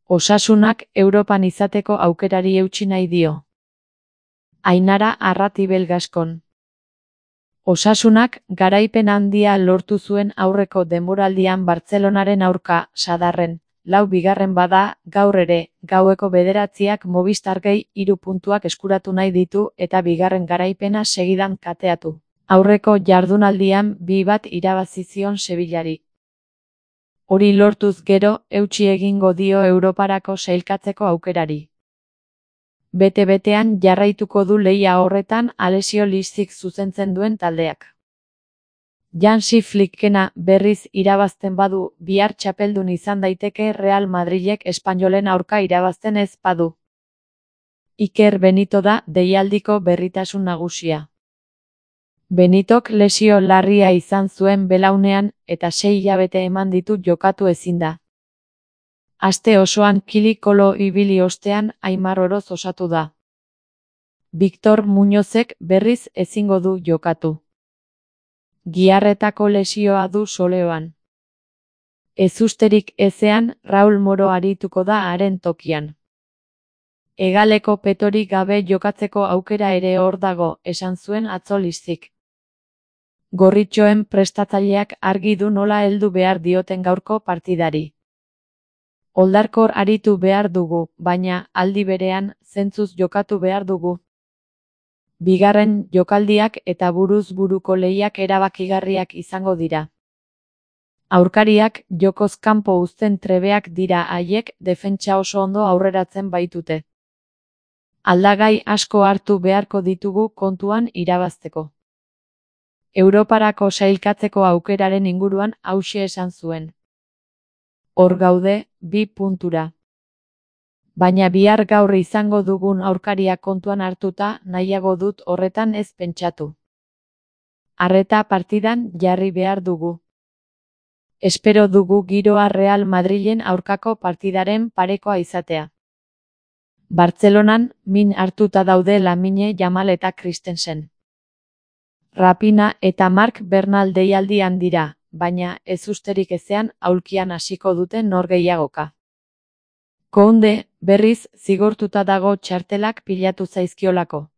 Osasunak Europan izateko aukerari eutsi nahi dio. Ainara Arratibel Gaskon. Osasunak garaipen handia lortu zuen aurreko denboraldian Bartzelonaren aurka, sadarren, 4. bada, gaur ere, gaueko 9:00 Movistargei 3 puntuak eskuratu nahi ditu eta 2. garaipena segidan kateatu. Aurreko jardunaldian 2-1 irabazi zion Sevillari. Hori lortuz gero, eutsi egingo dio Europarako sailkatzeko aukerari. Bete-betean jarraituko du lehia horretan Alessio Lizzik zuzentzen duen taldeak. Hansi Flickena berriz irabazten badu, bihar txapeldun izan daiteke Real Madrilek Espainolen aurka irabazten ez badu. Iker Benito da deialdiko berritasun nagusia. Benitok lesio larria izan zuen belaunean eta 6 hilabete eman ditu jokatu ezin da. Aste osoan kili-kolo ibili ostean Aimar Oroz osatu da. Victor Muñozek berriz ezingo du jokatu. Giharretako lesioa du soleoan. Ezusterik ezean Raul Moro arituko da haren tokian. Hegaleko petorik gabe jokatzeko aukera ere hor dago, esan zuen atzo Lizzik. Gorritxoen prestatzaileak argi du nola heldu behar dioten gaurko partidari. Oldarkor aritu behar dugu, baina, aldi berean, zentzuz jokatu behar dugu. Bigarren jokaldiak eta buruz buruko lehiak erabakigarriak izango dira. Aurkariak jokoz kanpo uzten trebeak dira haiek defentsa oso ondo aurreratzen baitute. Aldagai asko hartu beharko ditugu kontuan irabazteko. Europarako sailkatzeko aukeraren inguruan hauxe esan zuen. Hor gaude, 2 puntura. Baina bihar gaur izango dugun aurkaria kontuan hartuta nahiago dut horretan ez pentsatu. Arreta partidan jarri behar dugu. Espero dugu giroa Real Madrilen aurkako partidaren parekoa izatea. Bartzelonan min hartuta daude Lamine Yamal eta Christensen. Rapina eta Marc Bernal deialdian dira, baina ezusterik ezean aulkian hasiko dute norgehiagoka. Kounde, berriz, zigortuta dago txartelak pilatu zaizkiolako.